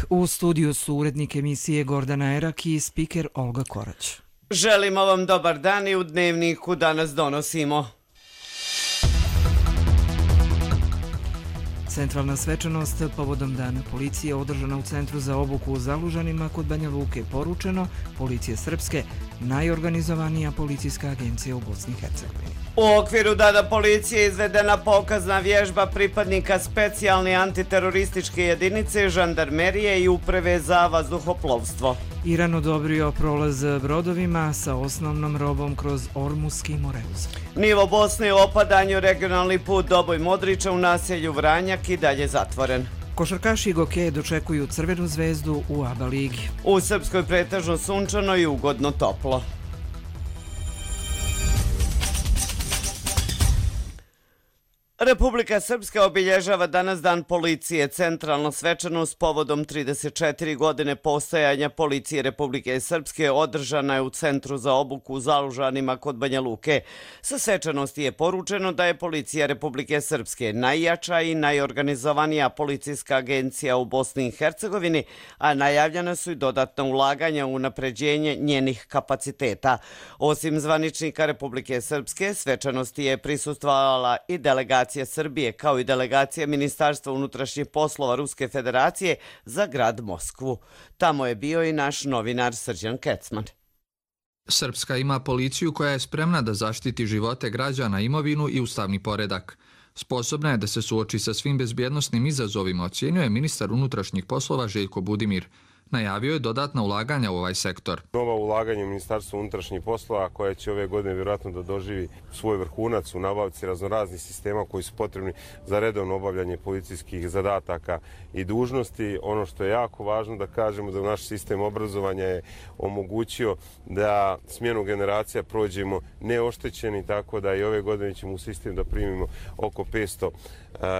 U studiju su urednik emisije Gordana Erak i spiker Olga Korać. Želimo vam dobar dan i u Dnevniku danas donosimo. Centralna svečanost povodom Dana policije održana u Centru za obuku u Zalužanima kod Banja Luke. Poručeno, Policije Srpske, najorganizovanija policijska agencija u Bosni i Hercegovini. U okviru Dana policije izvedena pokazna vježba pripadnika specijalne antiterorističke jedinice, žandarmerije i uprave za vazduhoplovstvo. Iran odobrio prolaz brodovima sa osnovnom robom kroz Ormuski Moreuz. Nivo Bosne u opadanju, regionalni put Doboj Modrića u naselju Vranjak i dalje zatvoren. Košarkaši i gokeje dočekuju Crvenu zvezdu u ABA ligi. U Srpskoj pretežno sunčano i ugodno toplo. Republika Srpska obilježava danas Dan policije. Centralna svečanost povodom 34 godine postojanja Policije Republike Srpske održana je u Centru za obuku u Zalužanima kod Banja Luke. Sa svečanosti je poručeno da je Policija Republike Srpske najjača i najorganizovanija policijska agencija u Bosni i Hercegovini, a najavljena su i dodatna ulaganja u unapređenje njenih kapaciteta. Osim zvaničnika Republike Srpske, svečanosti je prisustvovala i delegacija Srbije, kao i delegacija Ministarstva unutrašnjih poslova Ruske federacije za grad Moskvu. Tamo je bio i naš novinar Srđan Kecman. Srpska ima policiju koja je spremna da zaštiti živote građana, imovinu i ustavni poredak. Sposobna je da se suoči sa svim bezbjednosnim izazovima, ocjenjuje ministar unutrašnjih poslova Željko Budimir. Najavio je dodatna ulaganja u ovaj sektor. Nova ulaganja u Ministarstvu unutrašnjih poslova koja će ove godine vjerojatno da doživi svoj vrhunac u nabavci raznoraznih sistema koji su potrebni za redovno obavljanje policijskih zadataka i dužnosti. Ono što je jako važno da kažemo da naš sistem obrazovanja je omogućio da smjenu generacija prođemo neoštećeni, tako da i ove godine ćemo u sistem da primimo oko 500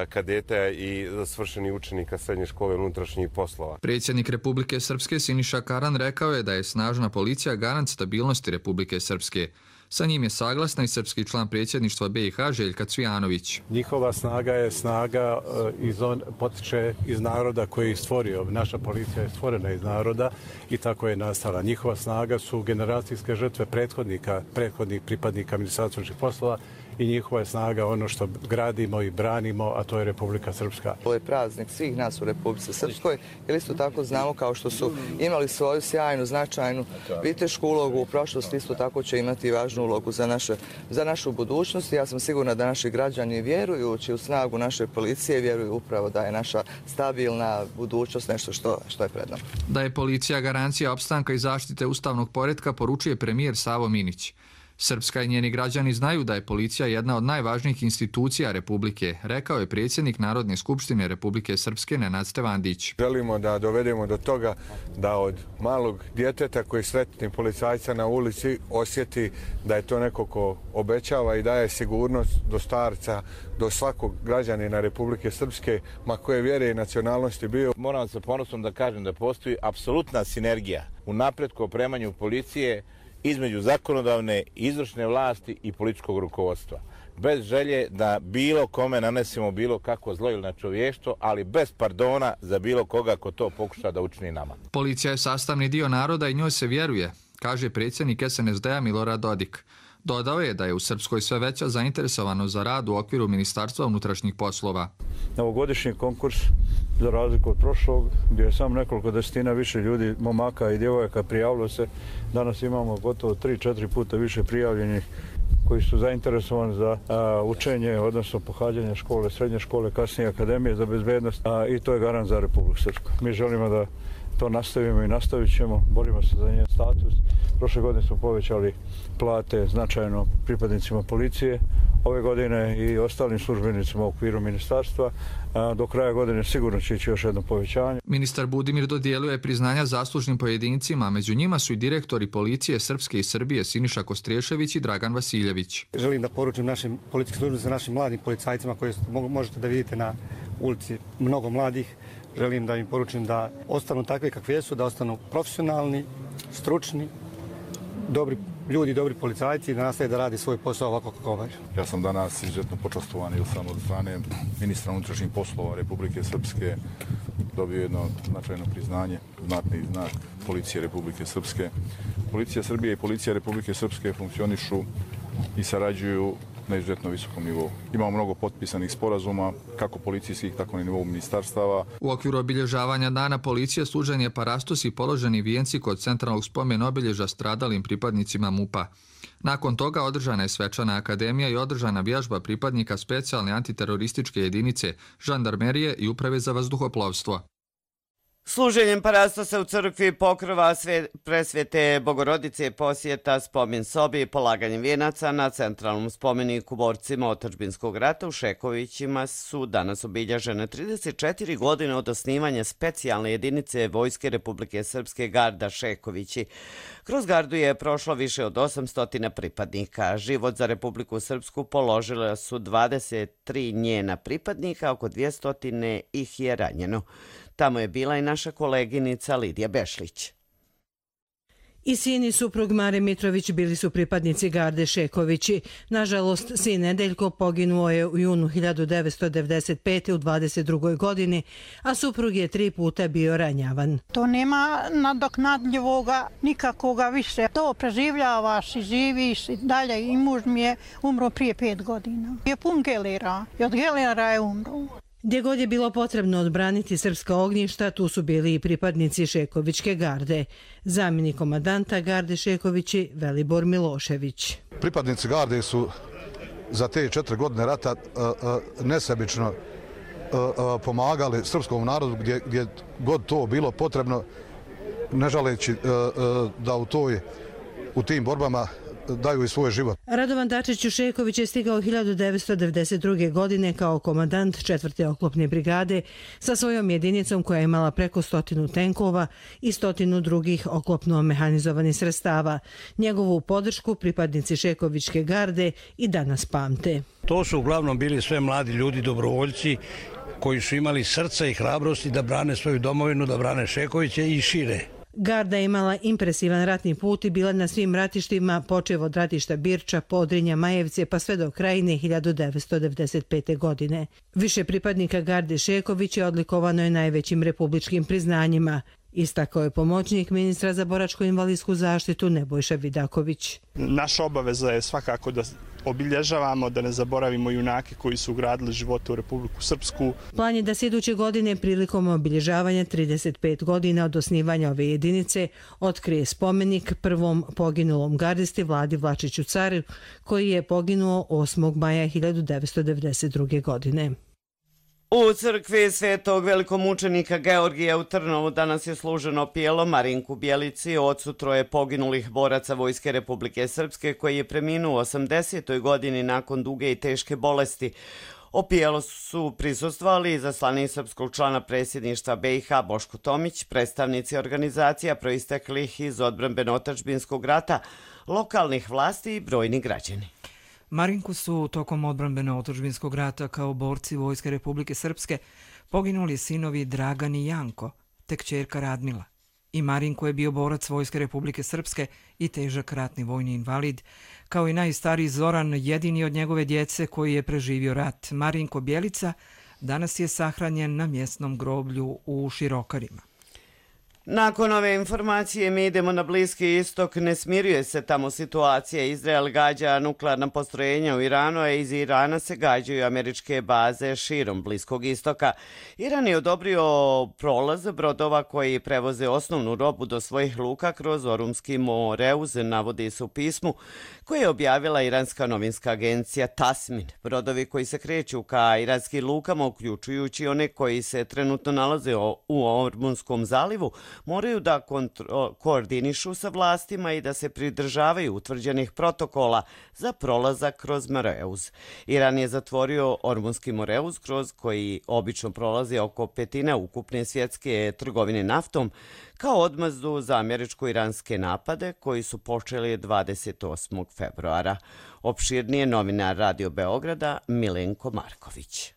kadeta i svršenih učenika srednje škole unutrašnjih poslova. Predsjednik Republike Srpske Siniša Karan rekao je da je snažna policija garant stabilnosti Republike Srpske. Sa njim je saglasna i srpski član predsjedništva BiH Željka Cvijanović. Njihova snaga je snaga potiče iz naroda koji je stvorio. Naša policija je stvorena iz naroda i tako je nastala. Njihova snaga su generacijske žrtve prethodnih pripadnika Ministarstva unutrašnjih poslova i njihova je snaga ono što gradimo i branimo, a to je Republika Srpska. Ovo je praznik svih nas u Republici Srpskoj, jer isto tako znamo kao što su imali svoju sjajnu, značajnu vitešku ulogu u prošlosti, isto tako će imati važnu ulogu za našu budućnost. Ja sam sigurna da naši građani vjerujući u snagu naše policije, vjeruju upravo da je naša stabilna budućnost nešto što je pred nama. Da je policija garancija opstanka i zaštite ustavnog poretka, poručuje premijer Savo Minić. Srpska i njeni građani znaju da je policija jedna od najvažnijih institucija Republike, rekao je predsjednik Narodne skupštine Republike Srpske Nenad Stevandić. Želimo da dovedemo do toga da od malog djeteta koji sretni policajca na ulici osjeti da je to neko ko obećava i daje sigurnost do starca, do svakog građanina Republike Srpske, ma koje vjere i nacionalnosti bio. Moram sa ponosom da kažem da postoji apsolutna sinergija u napretku opremanju policije između zakonodavne, izvršne vlasti i političkog rukovodstva. Bez želje da bilo kome nanesemo bilo kako zlo ili na čovještvo, ali bez pardona za bilo koga ko to pokuša da učini nama. Policija je sastavni dio naroda i njoj se vjeruje, kaže predsjednik SNSD-a Milorad Dodik. Dodao je da je u Srpskoj sve veća zainteresovanost za rad u okviru Ministarstva unutrašnjih poslova. Novogodišnji konkurs, za razliku od prošlog, gdje je samo nekoliko desetina više ljudi, momaka i djevojaka prijavilo se. Danas imamo gotovo 3-4 puta više prijavljenih koji su zainteresovani za učenje, odnosno pohađanje škole, srednje škole, kasnije akademije za bezbednost i to je garant za Republiku Srpsku. Mi želimo da to nastavimo i nastavit ćemo, borimo se za njen status. Prošle godine smo povećali plate značajno pripadnicima policije, ove godine i ostalim službenicima u okviru ministarstva. Do kraja godine sigurno će ići još jedno povećanje. Ministar Budimir dodijelio priznanja zaslužnim pojedincima, među njima su i direktori policije Srpske i Srbije Siniša Kostriješević i Dragan Vasiljević. Želim da poručim našim policijskim službenicima, našim mladim policajcima koji možete da vidite na ulici, mnogo mladih. Želim da im poručim da ostanu takve kakve su, da ostanu profesionalni, stručni, dobri ljudi, dobri policajci i da nastave da radi svoj posao ovako kako obavljaju. Ja sam danas izuzetno počastovan ili sam od strane ministra unutrašnjih poslova Republike Srpske dobio jedno značajno priznanje, znatni znak Policije Republike Srpske. Policija Srbije i Policija Republike Srpske funkcionišu i sarađuju na izuzetno visokom nivou. Imamo mnogo potpisanih sporazuma, kako policijskih, tako i na nivou ministarstava. U okviru obilježavanja Dana policije služen je parastos i položeni vijenci kod centralnog spomen obilježa stradalim pripadnicima MUP-a. Nakon toga održana je svečana akademija i održana vježba pripadnika specijalne antiterorističke jedinice, žandarmerije i uprave za vazduhoplovstvo. Služenjem parastosa u crkvi Pokrova presvete Bogorodice posjeta spomen sobi i polaganjem vijenaca na centralnom spomeniku borcima otadžbinskog rata u Šekovićima su danas obilježene 34 godine od osnivanja specijalne jedinice Vojske Republike Srpske Garda Šekovići. Kroz gardu je prošlo više od 800 pripadnika. Život za Republiku Srpsku položila su 23 njena pripadnika, oko 200 ih je ranjeno. Tamo je bila i naša koleginica Lidija Bešlić. I sin i suprug Mare Mitrović bili su pripadnici Garde Šekovići. Nažalost, sin Nedeljko poginuo je u junu 1995. u 22. godini, a suprug je 3 puta bio ranjavan. To nema nadoknadljivoga nikakvoga više. To preživljavaš i živiš i dalje. I muž mi je umro prije 5 godina. Je pun gelera i od gelera je umro. Gdje god je bilo potrebno odbraniti srpska ognjišta, tu su bili i pripadnici Šekovićke garde. Zamjenik komandanta Garde Šekovići Velibor Milošević. Pripadnici garde su za te 4 godine rata nesebično pomagali srpskom narodu gdje god to bilo potrebno, ne žaleći da u tim borbama daju i svoj život. Radovan Dačić Šeković je stigao 1992. godine kao komandant 4. oklopne brigade sa svojom jedinicom koja je imala preko 100 tenkova i 100 drugih oklopno mehanizovanih sredstava. Njegovu podršku pripadnici Šekovićke garde i danas pamte. To su uglavnom bili sve mladi ljudi, dobrovoljci koji su imali srca i hrabrosti da brane svoju domovinu, da brane Šekoviće i šire. Garda je imala impresivan ratni put i bila na svim ratištima, počev od ratišta Birča, Podrinja, Majevce pa sve do Krajine 1995. godine. Više pripadnika Garde Šeković je odlikovano je najvećim republičkim priznanjima. Istakao je pomoćnik ministra za boračko-invalidsku zaštitu Nebojša Vidaković. Naša obaveza je svakako da obilježavamo, da ne zaboravimo junake koji su ugradili živote u Republiku Srpsku. Plan je da se iduće godine prilikom obilježavanja 35 godina od osnivanja ove jedinice otkrije spomenik prvom poginulom gardisti Vladi Vlačiću Caru, koji je poginuo 8. maja 1992. godine. U crkvi Svetog velikomučenika Georgija u Trnovu danas je služeno pijelo Marinku Bjelici, ocu 3 poginulih boraca Vojske Republike Srpske koji je preminuo u 80. godini nakon duge i teške bolesti. Opijelo su prisustvovali izaslanik srpskog člana predsjedništva BiH Boško Tomić, predstavnici organizacija proisteklih iz odbrambeno-otadžbinskog rata, lokalnih vlasti i brojni građani. Marinku su tokom odbrambeno-otadžbinskog rata kao borci Vojske Republike Srpske poginuli sinovi Dragan i Janko, te kćerka Radmila. I Marinko je bio borac Vojske Republike Srpske i težak ratni vojni invalid, kao i najstariji Zoran, jedini od njegove djece koji je preživio rat. Marinko Bjelica danas je sahranjen na mjesnom groblju u Širokarima. Nakon ove informacije mi idemo na Bliski istok. Ne smiruje se tamo situacija. Izrael gađa nuklearna postrojenja u Iranu, a iz Irana se gađaju američke baze širom Bliskog istoka. Iran je odobrio prolaz brodova koji prevoze osnovnu robu do svojih luka kroz Orumski Moreuz, navodi se u pismu koje je objavila iranska novinska agencija Tasmin. Brodovi koji se kreću ka iranskim lukama, uključujući one koji se trenutno nalaze u Ormunskom zalivu, moraju da koordinišu sa vlastima i da se pridržavaju utvrđenih protokola za prolazak kroz Moreuz. Iran je zatvorio Ormunski Moreuz, kroz koji obično prolazi oko 1/5 ukupne svjetske trgovine naftom, kao odmazdu za američko-iranske napade koji su počeli 28. februara. Opširnije novinar Radio Beograda Milenko Marković.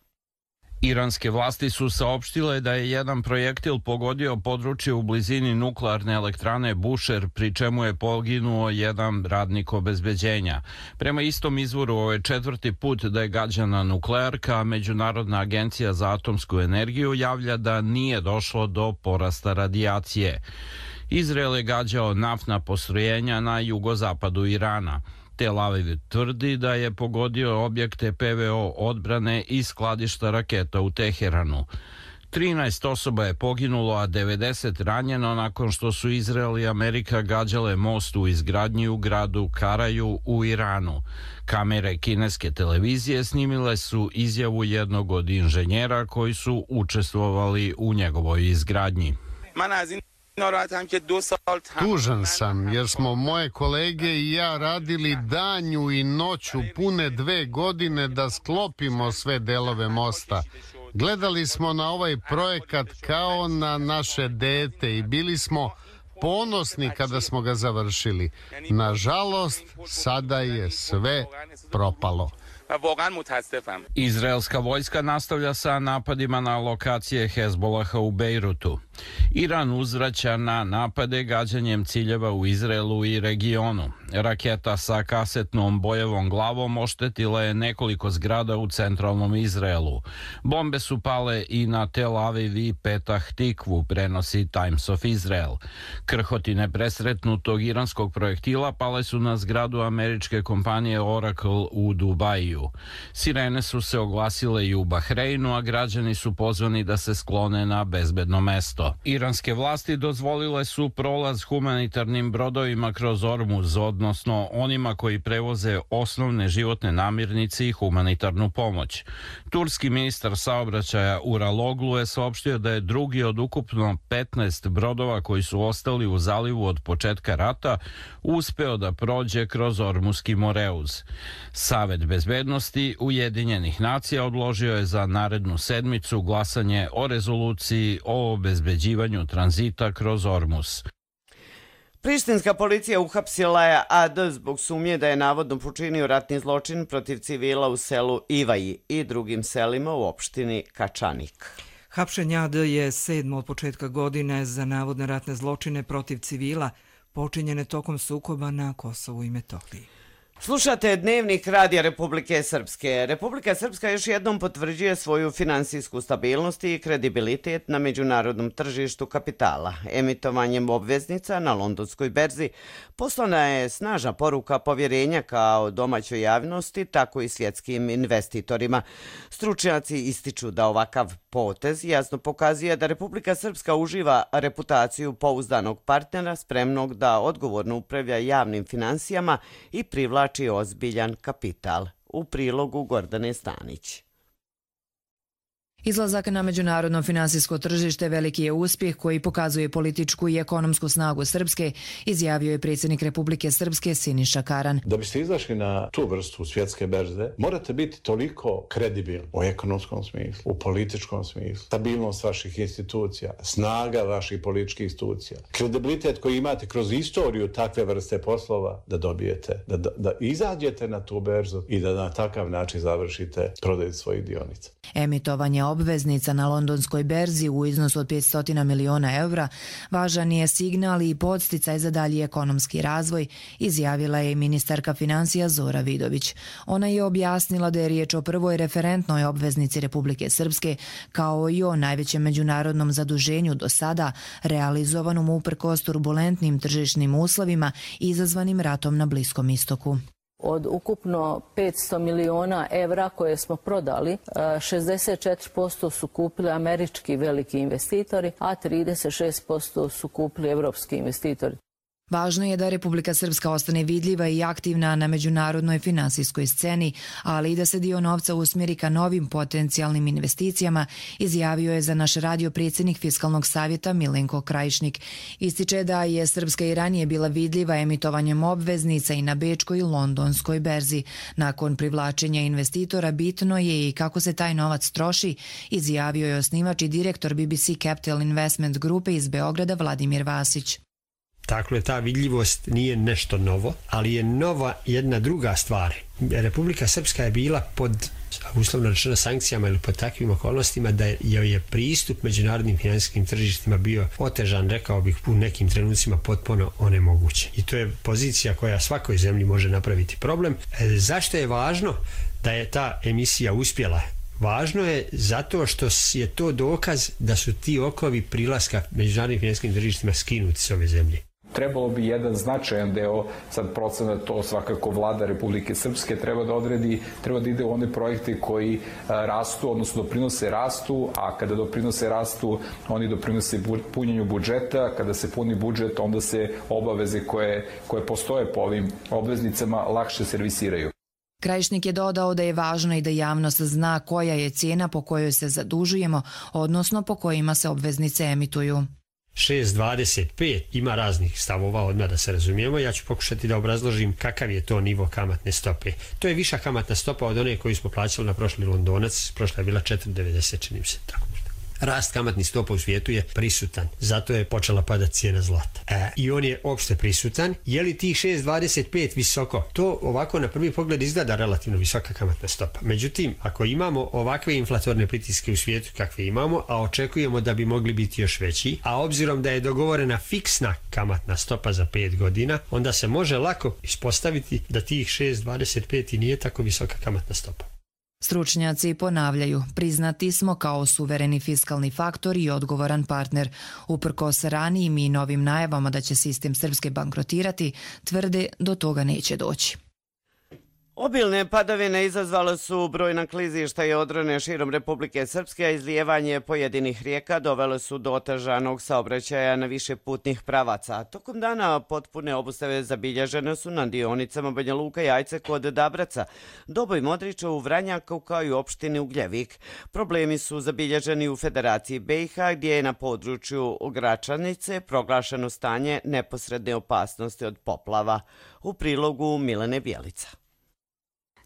Iranske vlasti su saopštile da je jedan projektil pogodio područje u blizini nuklearne elektrane Bushehr, pri čemu je poginuo jedan radnik obezbeđenja. Prema istom izvoru, ovo je 4. put da je gađana nuklearka, a Međunarodna agencija za atomsku energiju javlja da nije došlo do porasta radijacije. Izrael je gađao naftna postrojenja na jugozapadu Irana. Tel Aviv tvrdi da je pogodio objekte PVO odbrane i skladišta raketa u Teheranu. 13 osoba je poginulo, a 90 ranjeno nakon što su Izrael i Amerika gađale most u izgradnji u gradu Karaju u Iranu. Kamere kineske televizije snimile su izjavu jednog od inženjera koji su učestvovali u njegovoj izgradnji. Tužan sam jer smo moje kolege i ja radili danju i noću pune 2 godine da sklopimo sve delove mosta. Gledali smo na ovaj projekat kao na naše dete i bili smo ponosni kada smo ga završili. Nažalost, sada je sve propalo. Izraelska vojska nastavlja sa napadima na lokacije Hezbolaha u Bejrutu. Iran uzvraća na napade gađanjem ciljeva u Izraelu i regionu. Raketa sa kasetnom bojevom glavom oštetila je nekoliko zgrada u centralnom Izraelu. Bombe su pale i na Tel Aviv i Petah Tikvu, prenosi Times of Israel. Krhotine presretnutog iranskog projektila pale su na zgradu američke kompanije Oracle u Dubaju. Sirene su se oglasile i u Bahreinu, a građani su pozvani da se sklone na bezbedno mesto. Iranske vlasti dozvolile su prolaz humanitarnim brodovima kroz Ormuz, odnosno onima koji prevoze osnovne životne namirnice i humanitarnu pomoć. Turski ministar saobraćaja Uraloglu je saopštio da je drugi od ukupno 15 brodova koji su ostali u zalivu od početka rata uspeo da prođe kroz Ormuzski Moreuz. Savet bezbednosti Ujedinjenih nacija odložio je za narednu sedmicu glasanje o rezoluciji o obezbeđivanju tranzita kroz Ormuz. Prištinska policija uhapsila je AD zbog sumnje da je navodno počinio ratni zločin protiv civila u selu Ivaji i drugim selima u opštini Kačanik. Hapšenje AD je 7. od početka godine za navodne ratne zločine protiv civila počinjene tokom sukoba na Kosovu i Metohiji. Slušate Dnevnik Radija Republike Srpske. Republika Srpska još jednom potvrđuje svoju finansijsku stabilnost i kredibilitet na međunarodnom tržištu kapitala. Emitovanjem obveznica na londonskoj berzi poslana je snažna poruka povjerenja kao domaćoj javnosti, tako i svjetskim investitorima. Stručnjaci ističu da ovakav potez jasno pokazuje da Republika Srpska uživa reputaciju pouzdanog partnera spremnog da odgovorno upravlja javnim finansijama i privlači ozbiljan kapital. U prilogu Gordane Stanić. Izlazak na međunarodno finansijsko tržište veliki je uspjeh koji pokazuje političku i ekonomsku snagu Srpske, izjavio je predsjednik Republike Srpske Siniša Karan. Da biste izašli na tu vrstu svjetske berze, morate biti toliko kredibilni u ekonomskom smislu, u političkom smislu, stabilnost vaših institucija, snaga vaših političkih institucija, kredibilitet koji imate kroz istoriju takve vrste poslova da dobijete, da izađete na tu berzu i da na takav način završite prodaju svojih dionica. Emitovanje obveznica na londonskoj berzi u iznosu od 500 miliona evra važan je signal i podsticaj za dalji ekonomski razvoj, izjavila je ministarka financija Zora Vidović. Ona je objasnila da je riječ o prvoj referentnoj obveznici Republike Srpske, kao i o najvećem međunarodnom zaduženju do sada, realizovanom uprkos turbulentnim tržišnim uslovima izazvanim ratom na Bliskom istoku. Od ukupno 500 miliona evra koje smo prodali, 64% su kupili američki veliki investitori, a 36% su kupili evropski investitori. Važno je da Republika Srpska ostane vidljiva i aktivna na međunarodnoj finansijskoj sceni, ali i da se dio novca usmjeri ka novim potencijalnim investicijama, izjavio je za naš radio predsjednik Fiskalnog savjeta Milenko Krajišnik. Ističe da je Srpska i ranije bila vidljiva emitovanjem obveznica i na bečkoj i londonskoj berzi. Nakon privlačenja investitora bitno je i kako se taj novac troši, izjavio je osnivač i direktor BBC Capital Investment grupe iz Beograda Vladimir Vasić. Dakle, ta vidljivost nije nešto novo, ali je nova jedna druga stvar. Republika Srpska je bila pod uslovno rečeno sankcijama ili pod takvim okolnostima, da je pristup međunarodnim finansijskim tržištima bio otežan, rekao bih, u nekim trenucima potpuno onemogućen. I to je pozicija koja svakoj zemlji može napraviti problem. Zašto je važno da je ta emisija uspjela? Važno je zato što je to dokaz da su ti okovi prilaska međunarodnim finansijskim tržištima skinuti s ove zemlje. Trebalo bi jedan značajan deo, sad procenat, to svakako vlada Republike Srpske treba da odredi, treba da ide u one projekte koji rastu, odnosno doprinose rastu, a kada doprinose rastu, oni doprinose punjenju budžeta. Kada se puni budžet, onda se obaveze koje postoje po ovim obveznicama lakše servisiraju. Krajišnik je dodao da je važno i da javnost zna koja je cijena po kojoj se zadužujemo, odnosno po kojima se obveznice emituju. 6,25 ima raznih stavova, odmah da se razumijemo. Ja ću pokušati da obrazložim kakav je to nivo kamatne stope. To je viša kamatna stopa od one koju smo plaćali na prošli Londonac. Prošla je bila 4,90, čini mi se tako. Rast kamatnih stopa u svijetu je prisutan, zato je počela padati cijena zlata. I on je opšte prisutan. Je li tih 6,25 visoko? To ovako na prvi pogled izgleda relativno visoka kamatna stopa. Međutim, ako imamo ovakve inflatorne pritiske u svijetu kakve imamo, a očekujemo da bi mogli biti još veći, a obzirom da je dogovorena fiksna kamatna stopa za 5 godina, onda se može lako ispostaviti da tih 6,25 i nije tako visoka kamatna stopa. Stručnjaci ponavljaju, priznati smo kao suvereni fiskalni faktor i odgovoran partner. Uprkos ranijim i novim najavama da će sistem Srpske bankrotirati, tvrde do toga neće doći. Obilne padavine izazvale su brojna klizišta i odrone širom Republike Srpske, a izlijevanje pojedinih rijeka dovele su do otežanog saobraćaja na više putnih pravaca. Tokom dana potpune obustave zabilježene su na dionicama Banja Luka i Ajce kod Dabraca, Doboj Modrića u Vranjaku kao i opštini Ugljevik. Problemi su zabilježeni u Federaciji BiH gdje je na području Gračanice proglašeno stanje neposredne opasnosti od poplava. U prilogu Milene Bjelica.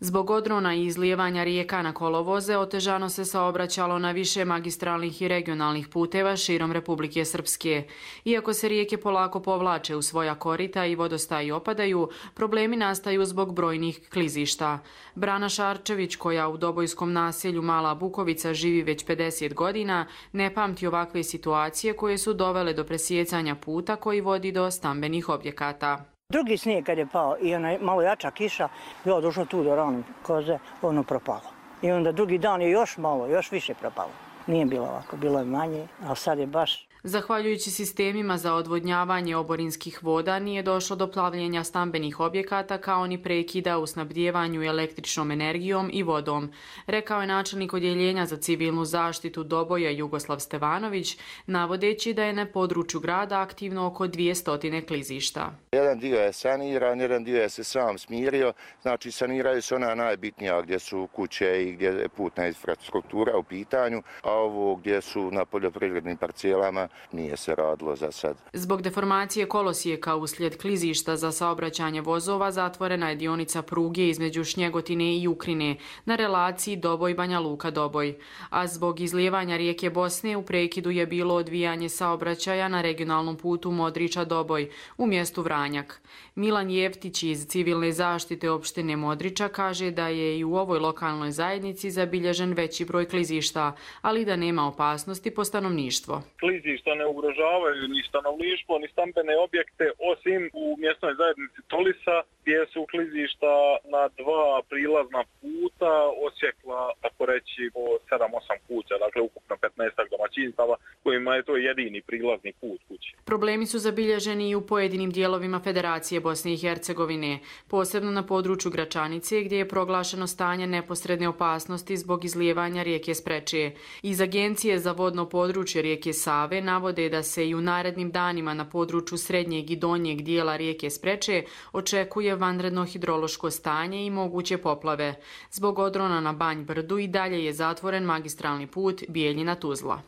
Zbog odrona i izlijevanja rijeka na kolovoze otežano se saobraćalo na više magistralnih i regionalnih puteva širom Republike Srpske. Iako se rijeke polako povlače u svoja korita i vodostaji opadaju, problemi nastaju zbog brojnih klizišta. Brana Šarčević, koja u dobojskom naselju Mala Bukovica živi već 50 godina, ne pamti ovakve situacije koje su dovele do presjecanja puta koji vodi do stambenih objekata. Drugi snijeg kad je pao i ona malo jača kiša, bilo došlo tu do rane koze, ono propalo. I onda drugi dan je još malo, još više propalo. Nije bilo ovako, bilo je manje, ali sad je baš... Zahvaljujući sistemima za odvodnjavanje oborinskih voda nije došlo do plavljenja stambenih objekata kao ni prekida u snabdjevanju električnom energijom i vodom, rekao je načelnik odjeljenja za civilnu zaštitu Doboja Jugoslav Stevanović, navodeći da je na području grada aktivno oko 200 klizišta. Jedan dio je saniran, jedan dio je se sam smirio, znači saniraju se ona najbitnija gdje su kuće i gdje je putna infrastruktura u pitanju, a ovo gdje su na poljoprivrednim parcelama nije se radilo za sad. Zbog deformacije kolosijeka uslijed klizišta za saobraćanje vozova zatvorena je dionica pruge između Šnjegotine i Jukrine na relaciji Doboj-Banja Luka-Doboj. A zbog izlijevanja rijeke Bosne u prekidu je bilo odvijanje saobraćaja na regionalnom putu Modrića-Doboj u mjestu Vranjak. Milan Jeftić iz civilne zaštite opštine Modrića kaže da je i u ovoj lokalnoj zajednici zabilježen veći broj klizišta, ali da nema opasnosti po stanovništvo. Klizišta ne ugrožavaju ni stanovništvo, ni stambene objekte, osim u mjesnoj zajednici Tolisa, gdje su klizišta na 2 prilazna puta osjekla, tako reći, po 7-8 kuća, dakle ukupno 15 domaćinstava, kojima je to jedini prilazni put kući. Problemi su zabilježeni i u pojedinim dijelovima Federacije Bosne i Hercegovine, posebno na području Gračanice, gdje je proglašeno stanje neposredne opasnosti zbog izlijevanja rijeke Spreče. Iz Agencije za vodno područje rijeke Save navode da se i u narednim danima na području srednjeg i donjeg dijela rijeke Spreče očekuje vanredno hidrološko stanje i moguće poplave. Zbog odrona na Banj Brdu i dalje je zatvoren magistralni put Bijeljina-Tuzla.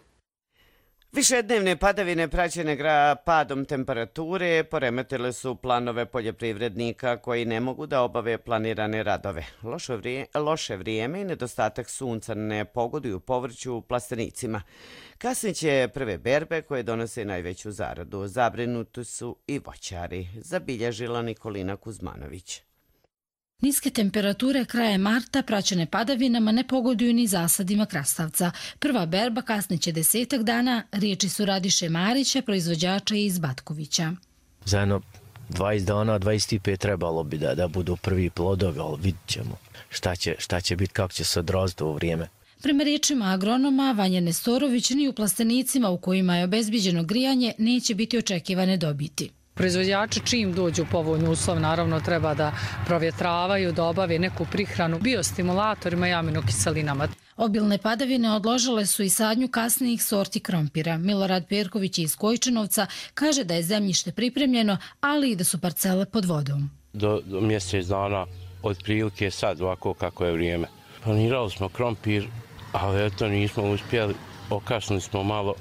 Višednevne padavine praćene padom temperature poremetile su planove poljoprivrednika koji ne mogu da obave planirane radove. Loše vrijeme i nedostatak sunca ne pogoduju povrću plastenicima. Kasniće prve berbe koje donose najveću zaradu. Zabrinuti su i voćari, zabilježila Nikolina Kuzmanović. Niske temperature krajem marta praćene padavinama ne pogoduju ni zasadima krastavca. Prva berba kasniće 10 dana, riječi su Radiše Marića, proizvođača iz Batkovića. Za jedno 20 dana, 25 trebalo bi da budu prvi plodovi, ali vidit ćemo šta će biti, kako će se odraziti ovo vrijeme. Prema riječima agronoma Vanja Nestorović, ni u plastenicima u kojima je obezbiđeno grijanje neće biti očekivane dobiti. Proizvođači čim dođu u povoljni uslov naravno treba da provjetravaju, da obave neku prihranu biostimulatorima i aminokiselinama. Obilne padavine odložile su i sadnju kasnijih sorti krompira. Milorad Perković iz Kojčinovca kaže da je zemljište pripremljeno, ali i da su parcele pod vodom. Do mjesec dana otprilike sad ovako kako je vrijeme. Planirali smo krompir, ali eto nismo uspjeli, okasnili smo malo.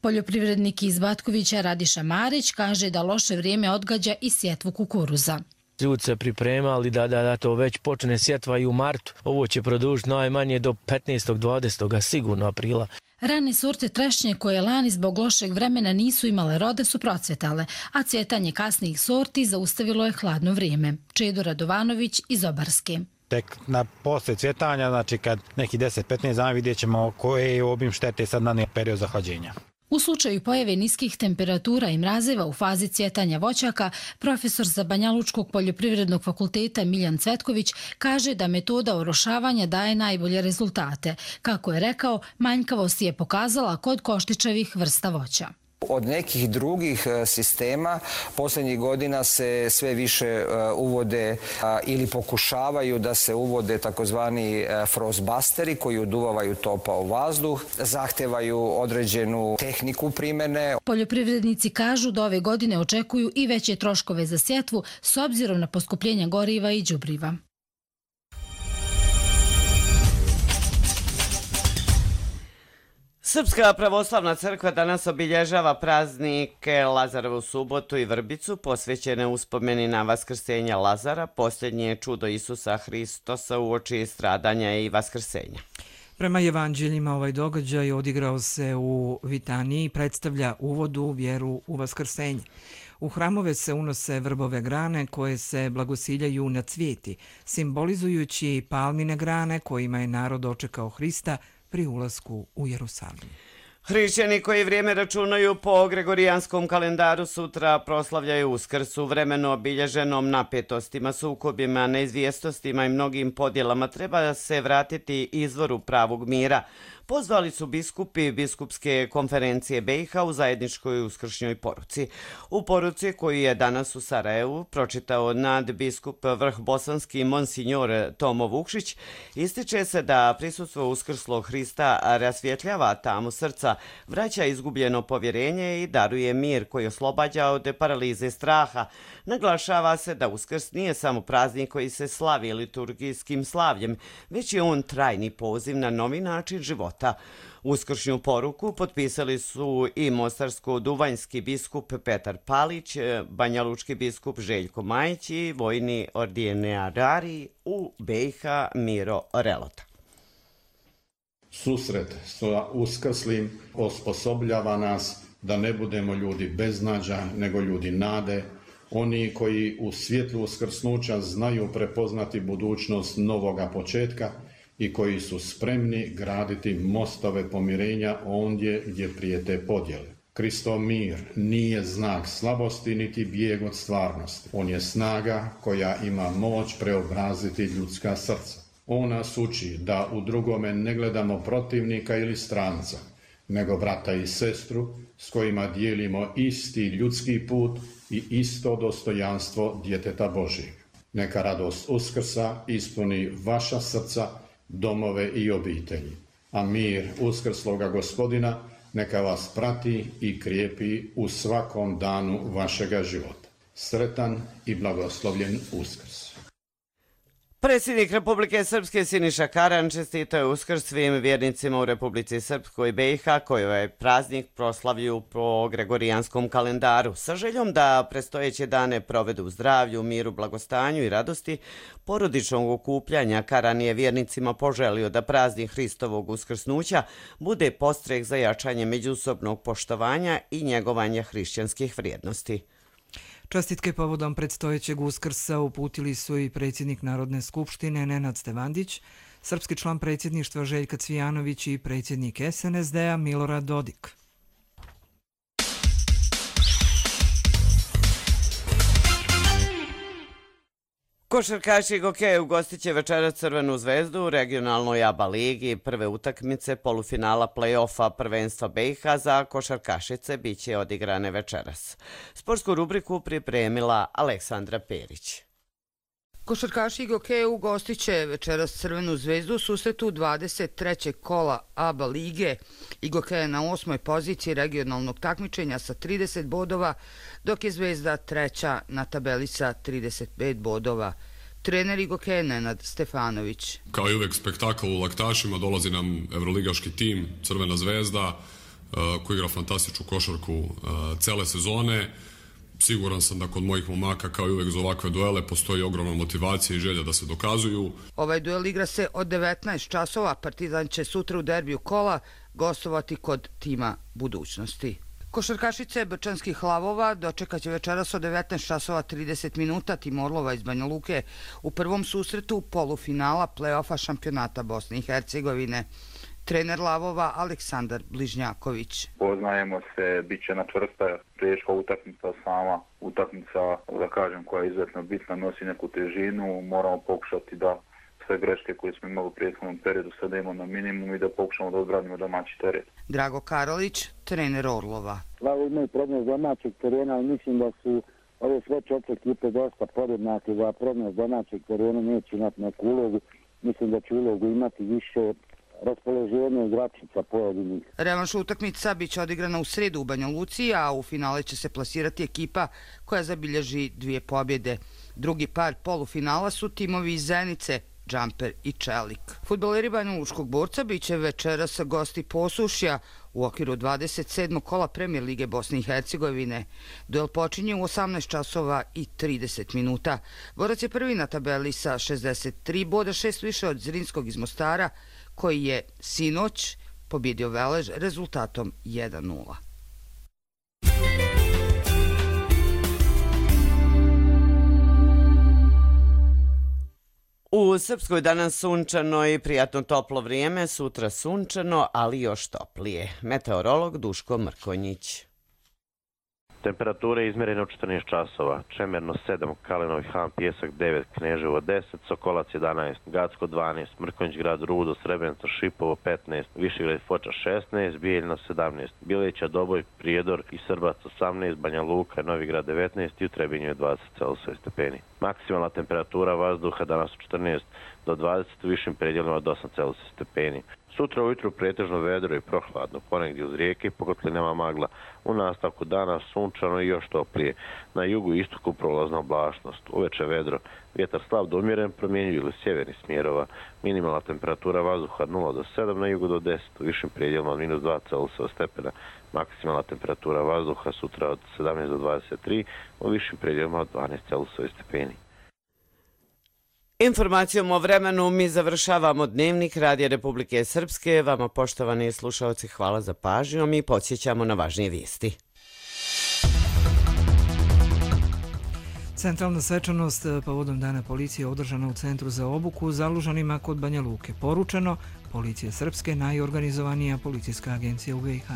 Poljoprivrednik iz Batkovića Radiša Marić kaže da loše vrijeme odgađa i sjetvu kukuruza. Ljudi se pripremali da to već počne sjetva i u martu. Ovo će produžiti najmanje do 15. 20. sigurno aprila. Rane sorte trešnje koje lani zbog lošeg vremena nisu imale rode su procvjetale, a cvjetanje kasnijih sorti zaustavilo je hladno vrijeme. Čedo Radovanović iz Obarske. Tek posle cvjetanja, znači kad neki 10-15 dana vidjet ćemo koje je obim štete sad na period zahlađenja. U slučaju pojave niskih temperatura i mrazeva u fazi cvjetanja voćaka, profesor sa Banjalučkog poljoprivrednog fakulteta Miljan Cvetković kaže da metoda orošavanja daje najbolje rezultate. Kako je rekao, manjkavost je pokazala kod koštičevih vrsta voća. Od nekih drugih sistema posljednjih godina se sve više uvode ili pokušavaju da se uvode takozvani frostbusteri koji uduvavaju topao vazduh, zahtevaju određenu tehniku primjene. Poljoprivrednici kažu da ove godine očekuju i veće troškove za sjetvu s obzirom na poskupljenja goriva i đubriva. Srpska pravoslavna crkva danas obilježava praznike Lazarovu subotu i Vrbicu, posvećene uspomeni na vaskrsenja Lazara, posljednje čudo Isusa Hristosa uoči stradanja i vaskrsenja. Prema evanđeljima ovaj događaj odigrao se u Vitaniji i predstavlja uvod u vjeru u vaskrsenje. U hramove se unose vrbove grane koje se blagosiljaju na cvijeti, simbolizujući palmine grane kojima je narod dočekao Hrista pri ulasku u Jerusalim. Hrišćani koji vrijeme računaju po gregorijanskom kalendaru sutra proslavljaju Uskrs u vremenu obilježenom napetostima, sukobima, neizvijestostima i mnogim podjelama. Treba se vratiti izvoru pravog mira. Pozvali su biskupi Biskupske konferencije BiH u zajedničkoj uskršnjoj poruci. U poruci koju je danas u Sarajevu pročitao nadbiskup vrhbosanski monsinjor Tomo Vukšić, ističe se da prisustvo uskrslog Hrista rasvjetljava tamu srca, vraća izgubljeno povjerenje i daruje mir koji oslobađa od paralize straha. Naglašava se da Uskrs nije samo praznik koji se slavi liturgijskim slavljem, već je on trajni poziv na novi način života. Uskršnju poruku potpisali su i mostarsko-duvanjski biskup Petar Palić, banjalučki biskup Željko Majić i vojni ordinarij u BiH Miro Relota. Susret sa uskrslim osposobljava nas da ne budemo ljudi beznađa, nego ljudi nade, oni koji u svjetlu uskrsnuća znaju prepoznati budućnost novoga početka i koji su spremni graditi mostove pomirenja ondje gdje prijete podjele. Kristov mir nije znak slabosti niti bijeg od stvarnosti. On je snaga koja ima moć preobraziti ljudska srca. On nas uči da u drugome ne gledamo protivnika ili stranca, nego brata i sestru s kojima dijelimo isti ljudski put i isto dostojanstvo djeteta Božjeg. Neka radost Uskrsa ispuni vaša srca, domove i obitelji, a mir uskrsloga Gospodina neka vas prati i krijepi u svakom danu vašega života. Sretan i blagoslovljen Uskrs. Predsjednik Republike Srpske Siniša Karan čestitao je Uskrs svim vjernicima u Republici Srpskoj BiH koji ovaj praznik proslavljuju po gregorijanskom kalendaru. Sa željom da predstojeće dane provedu u zdravlju, miru, blagostanju i radosti porodičnog okupljanja, Karan je vjernicima poželio da praznik Hristovog uskrsnuća bude podstrek za jačanje međusobnog poštovanja i njegovanja hrišćanskih vrijednosti. Čestitke povodom predstojećeg Uskrsa uputili su i predsjednik Narodne skupštine Nenad Stevandić, srpski član predsjedništva Željka Cvijanović i predsjednik SNSD-a Milorad Dodik. Košarkaši Gokeja ugostit će večeras Crvenu zvezdu u regionalnoj ABA ligi. Prve utakmice polufinala play-offa prvenstva BiH za košarkašice biće odigrane večeras. Sportsku rubriku pripremila Aleksandra Perić. Košarkaši Gokeja ugostit će večeras Crvenu zvezdu u susretu 23. kola ABA lige. Gokeja je na 8. poziciji regionalnog takmičenja sa 30 bodova, dok je Zvezda treća na tabeli sa 35 bodova. Trener Gokeja Nenad Stefanović. Kao i uvek spektakl u laktašima, dolazi nam evroligaški tim Crvena zvezda koji igra fantastičnu košarku cele sezone. Siguran sam da kod mojih momaka, kao i uvek za ovakve duele, postoji ogromna motivacija i želja da se dokazuju. Ovaj duel igra se od 19 časova. Partizan će sutra u derbiju kola gostovati kod tima budućnosti. Košarkašice Brčanskih lavova dočekat će večeras od 19 časova 30 minuta tim Orlova iz Banja Luke u prvom susretu polufinala play-offa šampionata Bosne i Hercegovine. Trener Lavova Aleksandar Bližnjaković. Poznajemo se, bit će na čvrsta teška utakmica, sama utakmica, da kažem, koja je izuzetno bitna, nosi neku težinu. Moramo pokušati da sve greške koje smo imali u prethodnom periodu sada imamo na minimum i da pokušamo da odbranimo domaći teren. Drago Karolić, trener Orlova. Lavo imaju problem domaćeg terena, ali mislim da su ove sve četiri ekipe dosta podjednake, da problem domaćeg terena neće imati neku ulogu. Mislim da će ulogu imati više raspoloženje igračica pojedinih. Revanš utakmica biće odigrana u sredu u Banja Luci, a u finale će se plasirati ekipa koja zabilježi 2 pobjede. Drugi par polufinala su timovi iz Zenice, Džamper i Čelik. Fudbaleri Banja Lučkog borca biće večeras gosti Posušja u okviru 27. kola Premijer lige Bosne i Hercegovine. Duel počinje u 18 časova i 30 minuta. Borac je prvi na tabeli sa 63 boda, 6 više od Zrinskog iz Mostara, koji je sinoć pobjedio Velež rezultatom 1:0. U Srpskoj danas sunčano i prijatno toplo vrijeme, sutra sunčano, ali još toplije. Meteorolog Duško Mrkonjić. Temperature izmjerene u 14 časova. Čemerno 7, Kalinov Han, Pjesak 9, Kneževo 10, Sokolac 11, Gacko 12, Mrkonjić grad Rudo, Srebrenica, Šipovo 15, Višegrad Foča 16, Bijeljina 17, Bileća, Doboj, Prijedor i Srbac 18, Banja Luka, Novigrad 19 i u Trebinju je 20 Celsius stepeni. Maksimalna temperatura vazduha danas u 14 do 20, u višim predjelima od 8 Celsius stepeni. Sutra ujutru pretežno vedro i prohladno, ponegdje uz rijeke i pokotlinama magla. U nastavku dana sunčano i još toplije. Na jugu i istoku prolazna oblačnost. Uveče vedro, vjetar slab do umjeren, promjenjiv ili sjevernih smjerova. Minimalna temperatura vazduha 0 do 7, na jugu do 10, u višim predjelima od -2 Celsius stepena. Maksimalna temperatura vazduha sutra od 17 do 23, u višim predjelima od 12 Celsius stepeni. Informacijom o vremenu mi završavamo dnevnik Radija Republike Srpske. Vama, poštovani slušalci, hvala za pažnju i podsjećamo na važnije vijesti. Centralna svečanost povodom Dana policije održana u Centru za obuku u Zalužanima kod Banja Luke. Poručeno, Policija Srpske najorganizovanija policijska agencija u BiH.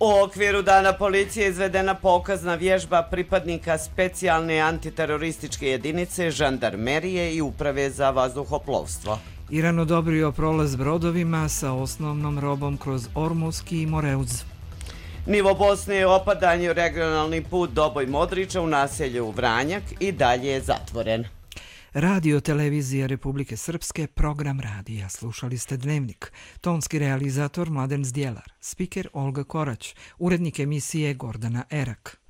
U okviru Dana policije izvedena pokazna vježba pripadnika specijalne antiterorističke jedinice, žandarmerije i uprave za vazduhoplovstvo. Iran odobrio prolaz brodovima sa osnovnom robom kroz Ormuski i Moreuz. Nivo Bosne je opadanje, regionalni put Doboj-Modriča u naselju Vranjak i dalje je zatvoren. Radio Televizija Republike Srpske, program radija. Slušali ste Dnevnik. Tonski realizator Mladen Zdjelar, spiker Olga Korać, urednik emisije Gordana Erak.